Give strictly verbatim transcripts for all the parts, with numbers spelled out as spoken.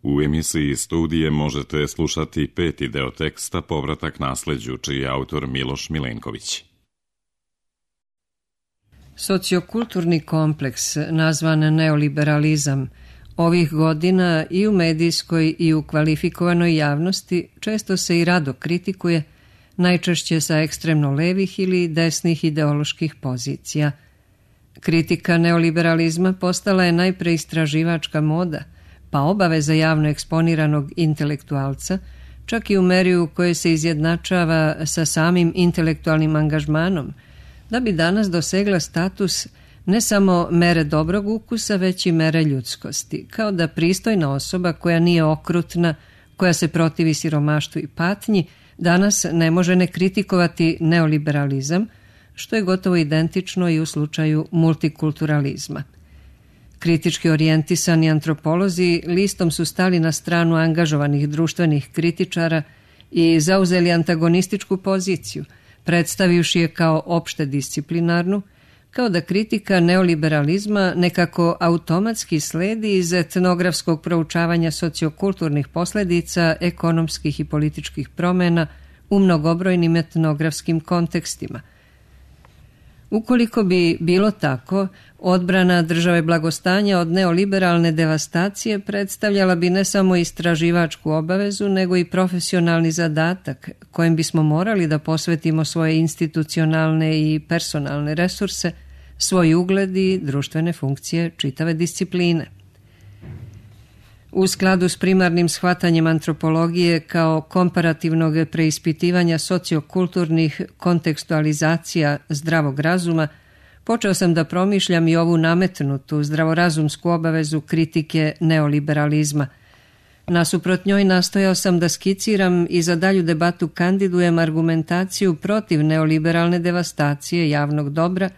U emisiji Studije možete slušati peti deo teksta Povratak nasleđu, čiji je autor Miloš Milenković. Sociokulturni kompleks, nazvan neoliberalizam, ovih godina i u medijskoj i u kvalifikovanoj javnosti često se i rado kritikuje, najčešće sa ekstremno levih ili desnih ideoloških pozicija. Kritika neoliberalizma postala je najpre istraživačka moda, pa obaveza javno eksponiranog intelektualca, čak i u meri u kojoj se izjednačava sa samim intelektualnim angažmanom, da bi danas dosegla status ne samo mere dobrog ukusa, već i mere ljudskosti, kao da pristojna osoba koja nije okrutna, koja se protivi siromaštvu i patnji, danas ne može ne kritikovati neoliberalizam, što je gotovo identično i u slučaju multikulturalizma. Kritički orijentisani antropolozi listom su stali na stranu angažovanih društvenih kritičara i zauzeli antagonističku poziciju, predstavivši je kao opšte disciplinarnu, kao da kritika neoliberalizma nekako automatski sledi iz etnografskog proučavanja sociokulturnih posljedica ekonomskih i političkih promjena u mnogobrojnim etnografskim kontekstima. Ukoliko bi bilo tako, odbrana države blagostanja od neoliberalne devastacije predstavljala bi ne samo istraživačku obavezu, nego i profesionalni zadatak kojem bismo morali da posvetimo svoje institucionalne i personalne resurse, svoj ugled i društvene funkcije čitave discipline. U skladu s primarnim shvatanjem antropologije kao komparativnog preispitivanja sociokulturnih kontekstualizacija zdravog razuma, počeo sam da promišljam i ovu nametnutu zdravorazumsku obavezu kritike neoliberalizma. Nasuprot njoj nastojao sam da skiciram i za dalju debatu kandidujem argumentaciju protiv neoliberalne devastacije javnog dobra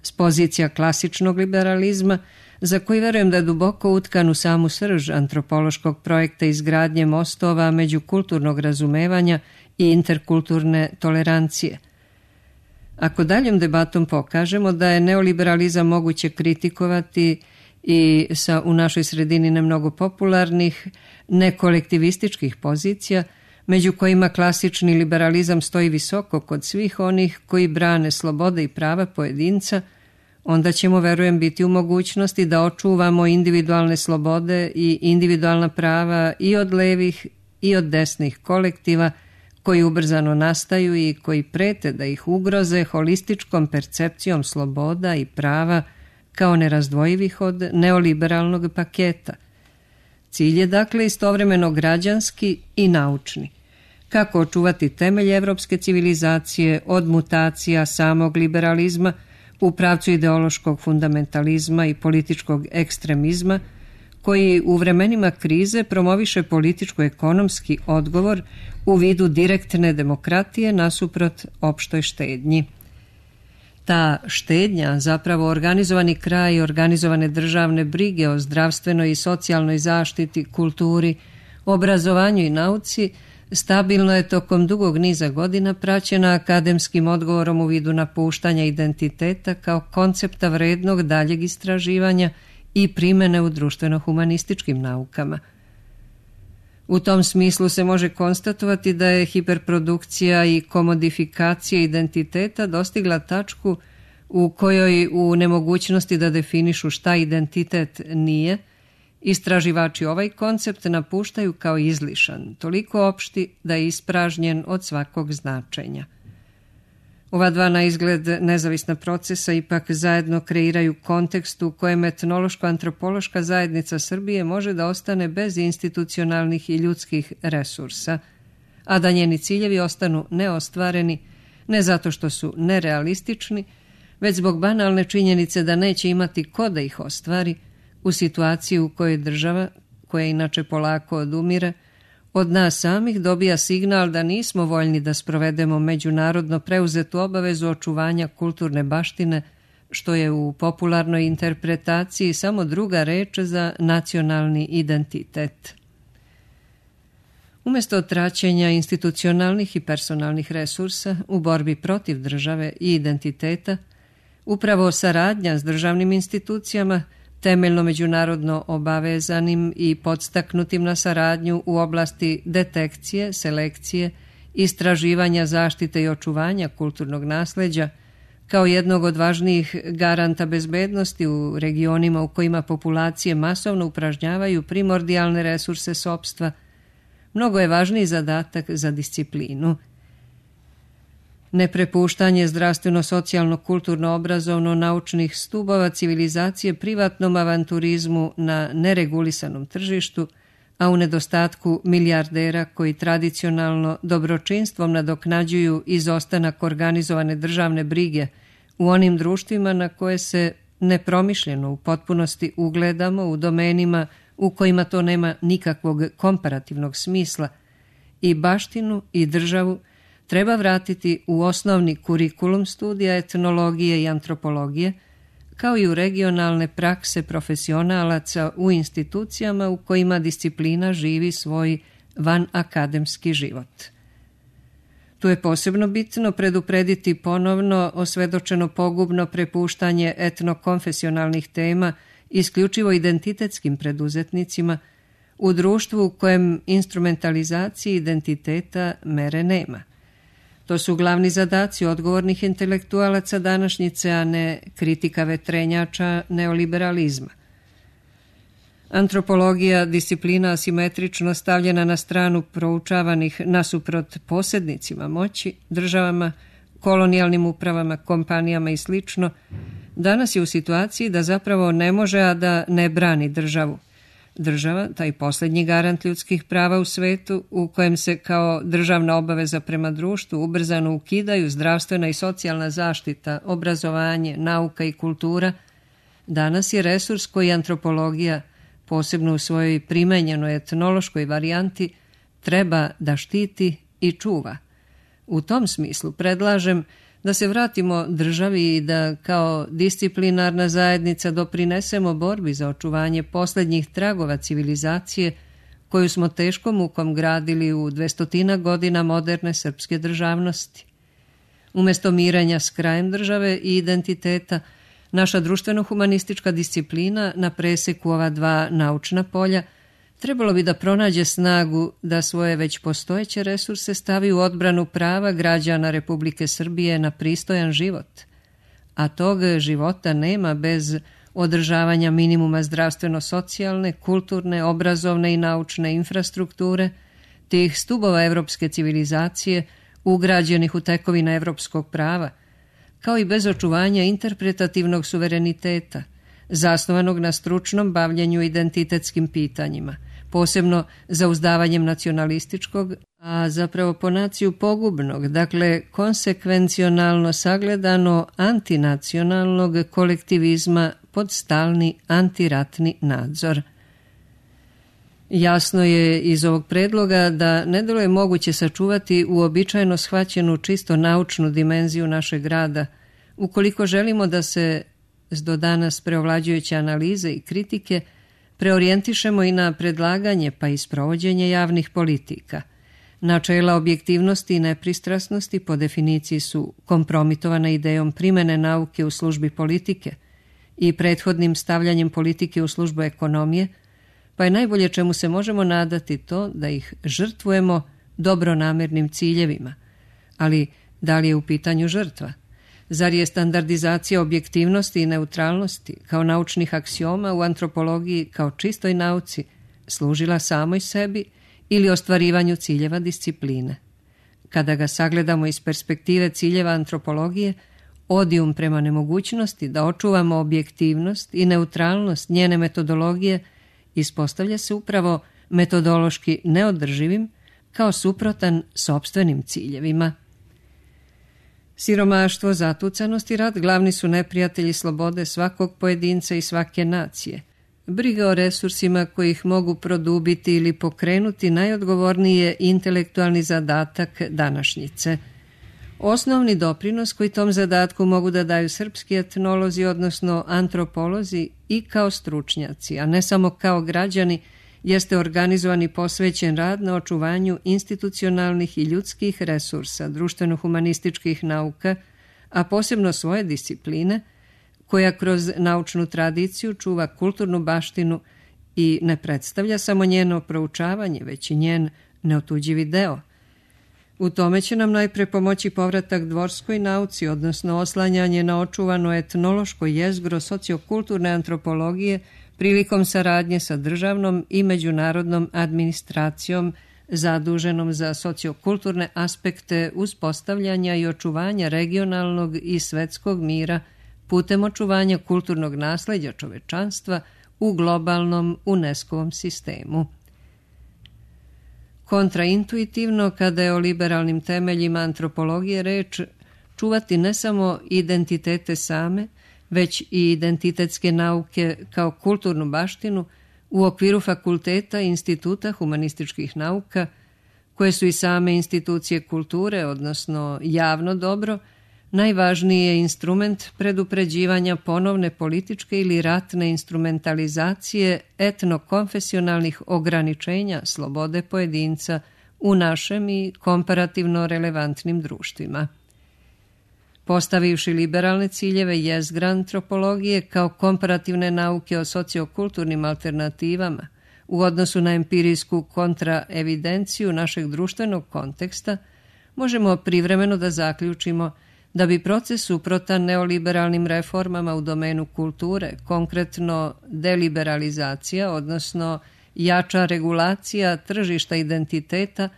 s pozicija klasičnog liberalizma, za koji verujem da je duboko utkan u samu srž antropološkog projekta izgradnje mostova međukulturnog razumevanja i interkulturne tolerancije. Ako daljom debatom pokažemo da je neoliberalizam moguće kritikovati i sa u našoj sredini nemnogo popularnih, nekolektivističkih pozicija, među kojima klasični liberalizam stoji visoko kod svih onih koji brane slobode i prava pojedinca, onda ćemo, verujem, biti u mogućnosti da očuvamo individualne slobode i individualna prava i od levih i od desnih kolektiva koji ubrzano nastaju i koji prete da ih ugroze holističkom percepcijom sloboda i prava kao nerazdvojivih od neoliberalnog paketa. Cilj je dakle istovremeno građanski i naučni. Kako očuvati temelje evropske civilizacije od mutacija samog liberalizma u pravcu ideološkog fundamentalizma i političkog ekstremizma, koji u vremenima krize promoviše političko-ekonomski odgovor u vidu direktne demokratije nasuprot opštoj štednji. Ta štednja, zapravo organizovani kraj organizovane državne brige o zdravstvenoj i socijalnoj zaštiti, kulturi, obrazovanju i nauci, stabilno je tokom dugog niza godina praćena akademskim odgovorom u vidu napuštanja identiteta kao koncepta vrednog daljeg istraživanja i primene u društveno-humanističkim naukama. U tom smislu se može konstatovati da je hiperprodukcija i komodifikacija identiteta dostigla tačku u kojoj u nemogućnosti da definišu šta identitet nije, istraživači ovaj koncept napuštaju kao izlišan, toliko opšti da je ispražnjen od svakog značenja. Ova dva na izgled nezavisna procesa ipak zajedno kreiraju kontekst u kojem etnološko-antropološka zajednica Srbije može da ostane bez institucionalnih i ljudskih resursa, a da njeni ciljevi ostanu neostvareni ne zato što su nerealistični, već zbog banalne činjenice da neće imati ko da ih ostvari u situaciji u kojoj država, koja inače polako odumire, od nas samih dobija signal da nismo voljni da sprovedemo međunarodno preuzetu obavezu očuvanja kulturne baštine, što je u popularnoj interpretaciji samo druga reč za nacionalni identitet. Umjesto traćenja institucionalnih i personalnih resursa u borbi protiv države i identiteta, upravo saradnja s državnim institucijama temeljno međunarodno obavezanim i podstaknutim na saradnju u oblasti detekcije, selekcije, istraživanja, zaštite i očuvanja kulturnog nasleđa, kao jednog od važnijih garanta bezbednosti u regionima u kojima populacije masovno upražnjavaju primordijalne resurse sopstva, mnogo je važniji zadatak za disciplinu. Neprepuštanje zdravstveno-socijalno-kulturno-obrazovno-naučnih stubova civilizacije privatnom avanturizmu na neregulisanom tržištu, a u nedostatku milijardera koji tradicionalno dobročinstvom nadoknađuju izostanak organizovane državne brige u onim društvima na koje se nepromišljeno u potpunosti ugledamo u domenima u kojima to nema nikakvog komparativnog smisla, i baštinu i državu treba vratiti u osnovni kurikulum studija etnologije i antropologije, kao i u regionalne prakse profesionalaca u institucijama u kojima disciplina živi svoj vanakademski život. Tu je posebno bitno preduprediti ponovno osvedočeno pogubno prepuštanje etnokonfesionalnih tema isključivo identitetskim preduzetnicima u društvu u kojem instrumentalizaciji identiteta mere nema. To su glavni zadaci odgovornih intelektualaca današnjice, a ne kritika vetrenjača neoliberalizma. Antropologija, disciplina asimetrično stavljena na stranu proučavanih nasuprot posjednicima moći, državama, kolonijalnim upravama, kompanijama i sl., danas je u situaciji da zapravo ne može, a da ne brani državu. Država, taj posljednji garant ljudskih prava u svetu, u kojem se kao državna obaveza prema društvu ubrzano ukidaju zdravstvena i socijalna zaštita, obrazovanje, nauka i kultura, danas je resurs koji antropologija, posebno u svojoj primenjenoj etnološkoj varijanti, treba da štiti i čuva. U tom smislu predlažem da se vratimo državi i da kao disciplinarna zajednica doprinesemo borbi za očuvanje posljednjih tragova civilizacije koju smo teškom mukom gradili u dvestotina godina moderne srpske državnosti. Umjesto mirenja s krajem države i identiteta, naša društveno-humanistička disciplina na preseku ova dva naučna polja trebalo bi da pronađe snagu da svoje već postojeće resurse stavi u odbranu prava građana Republike Srbije na pristojan život. A tog života nema bez održavanja minimuma zdravstveno-socijalne, kulturne, obrazovne i naučne infrastrukture, tih stubova evropske civilizacije ugrađenih u tekovine evropskog prava, kao i bez očuvanja interpretativnog suvereniteta, zasnovanog na stručnom bavljenju identitetskim pitanjima, posebno zauzdavanjem nacionalističkog, a zapravo po naciju pogubnog, dakle konsekvencionalno sagledano antinacionalnog kolektivizma pod stalni antiratni nadzor. Jasno je iz ovog predloga da ne delo je moguće sačuvati uobičajeno shvaćenu čisto naučnu dimenziju našeg rada, ukoliko želimo da se s do danas preovlađujuće analize i kritike preorijentišemo i na predlaganje pa i sprovođenje javnih politika. Načela objektivnosti i nepristrasnosti po definiciji su kompromitovana idejom primene nauke u službi politike i prethodnim stavljanjem politike u službu ekonomije, pa je najbolje čemu se možemo nadati to da ih žrtvujemo dobronamernim ciljevima. Ali da li je u pitanju žrtva? Zar je standardizacija objektivnosti i neutralnosti kao naučnih aksioma u antropologiji kao čistoj nauci služila samoj sebi ili ostvarivanju ciljeva discipline? Kada ga sagledamo iz perspektive ciljeva antropologije, odijum prema nemogućnosti da očuvamo objektivnost i neutralnost njene metodologije ispostavlja se upravo metodološki neodrživim kao suprotan sopstvenim ciljevima. Siromaštvo, zatucanost i rat glavni su neprijatelji slobode svakog pojedinca i svake nacije. Briga o resursima koji ih mogu produbiti ili pokrenuti najodgovorniji je intelektualni zadatak današnjice. Osnovni doprinos koji tom zadatku mogu da daju srpski etnolozi, odnosno antropolozi i kao stručnjaci, a ne samo kao građani, jeste organizovan i posvećen rad na očuvanju institucionalnih i ljudskih resursa društveno-humanističkih nauka, a posebno svoje discipline, koja kroz naučnu tradiciju čuva kulturnu baštinu i ne predstavlja samo njeno proučavanje, već i njen neotuđivi deo. U tome će nam najpre pomoći povratak dvorskoj nauci, odnosno oslanjanje na očuvano etnološko jezgro sociokulturne antropologije prilikom saradnje sa državnom i međunarodnom administracijom zaduženom za sociokulturne aspekte uspostavljanja i očuvanja regionalnog i svetskog mira putem očuvanja kulturnog nasleđa čovečanstva u globalnom UNESCO-vom sistemu. Kontraintuitivno, kada je o liberalnim temeljima antropologije reč, čuvati ne samo identitete same, već i identitetske nauke kao kulturnu baštinu u okviru fakulteta i instituta humanističkih nauka, koje su i same institucije kulture, odnosno javno dobro, najvažniji je instrument predupređivanja ponovne političke ili ratne instrumentalizacije etnokonfesionalnih ograničenja slobode pojedinca u našem i komparativno relevantnim društvima. Postavivši liberalne ciljeve jezgra antropologije kao komparativne nauke o sociokulturnim alternativama u odnosu na empirijsku kontraevidenciju našeg društvenog konteksta, možemo privremeno da zaključimo da bi proces suprotan neoliberalnim reformama u domenu kulture, konkretno deliberalizacija, odnosno jača regulacija tržišta identiteta,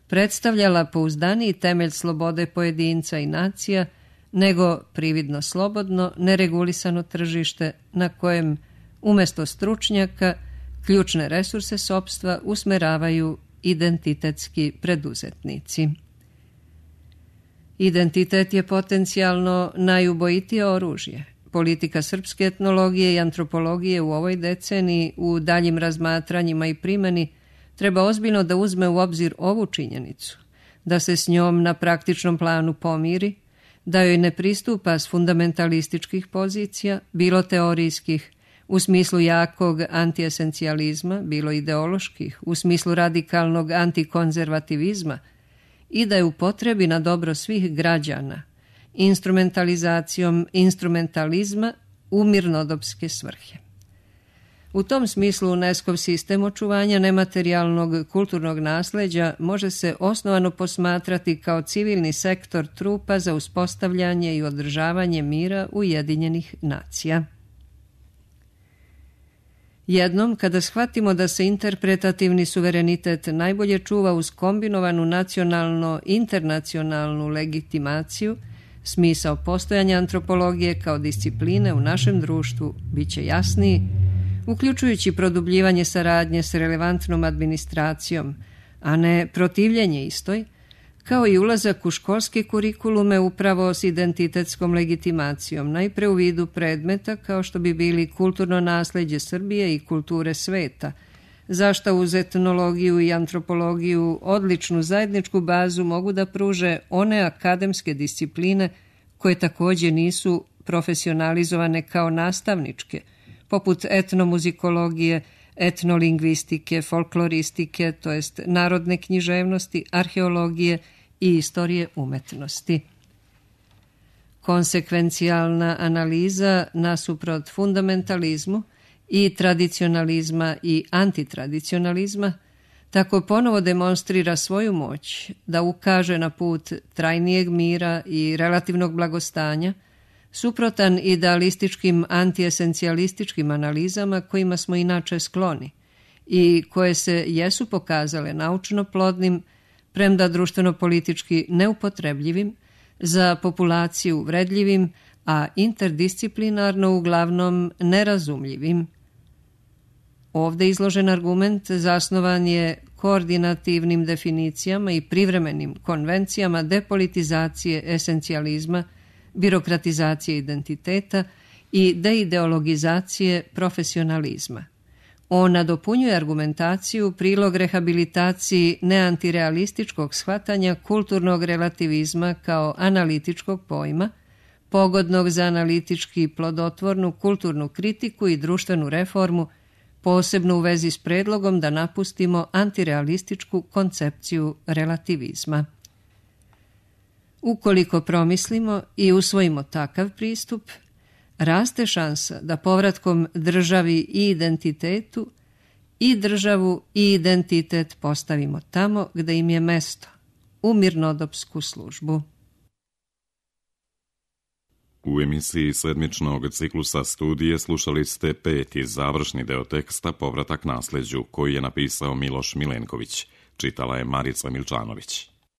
predstavljala pouzdaniji temelj slobode pojedinca i nacija nego prividno slobodno, neregulisano tržište na kojem umesto stručnjaka ključne resurse sopstva usmeravaju identitetski preduzetnici. Identitet je potencijalno najubojitije oružje. Politika srpske etnologije i antropologije u ovoj deceniji u daljim razmatranjima i primjeni treba ozbiljno da uzme u obzir ovu činjenicu, da se s njom na praktičnom planu pomiri, da joj ne pristupa s fundamentalističkih pozicija, bilo teorijskih, u smislu jakog antiesencijalizma, bilo ideoloških, u smislu radikalnog antikonzervativizma, i da je upotrebi na dobro svih građana, instrumentalizacijom instrumentalizma u mirnodopske svrhe. U tom smislu UNESCO-v sistem očuvanja nematerijalnog kulturnog nasleđa može se osnovano posmatrati kao civilni sektor trupa za uspostavljanje i održavanje mira Ujedinjenih nacija. Jednom, kada shvatimo da se interpretativni suverenitet najbolje čuva uz kombinovanu nacionalno-internacionalnu legitimaciju, smisao postojanja antropologije kao discipline u našem društvu bit će jasniji, uključujući produbljivanje saradnje s relevantnom administracijom, a ne protivljenje istoj, kao i ulazak u školske kurikulume upravo s identitetskom legitimacijom, najpre u vidu predmeta kao što bi bili kulturno nasleđe Srbije i kulture sveta, zašto uz etnologiju i antropologiju odličnu zajedničku bazu mogu da pruže one akademske discipline koje također nisu profesionalizovane kao nastavničke, poput etnomuzikologije, etnolingvistike, folkloristike, to jest narodne književnosti, arheologije i istorije umetnosti. Konsekvencijalna analiza nasuprot fundamentalizmu i tradicionalizma i antitradicionalizma tako ponovo demonstrira svoju moć da ukaže na put trajnijeg mira i relativnog blagostanja, suprotan idealističkim antiesencijalističkim analizama kojima smo inače skloni i koje se jesu pokazale naučno plodnim, premda društveno-politički neupotrebljivim, za populaciju vredljivim, a interdisciplinarno uglavnom nerazumljivim. Ovde izložen argument zasnovan je koordinativnim definicijama i privremenim konvencijama depolitizacije esencijalizma, birokratizacije identiteta i deideologizacije profesionalizma. On nadopunjuje argumentaciju prilog rehabilitaciji neantirealističkog shvatanja kulturnog relativizma kao analitičkog pojma, pogodnog za analitički plodotvornu kulturnu kritiku i društvenu reformu, posebno u vezi s predlogom da napustimo antirealističku koncepciju relativizma. Ukoliko promislimo i usvojimo takav pristup, raste šansa da povratkom državi i identitetu i državu i identitet postavimo tamo gde im je mesto, u mirnodopsku službu. U emisiji sedmičnog ciklusa studije slušali ste peti završni deo teksta Povratak nasleđu, koji je napisao Miloš Milenković. Čitala je Marica Milčanović.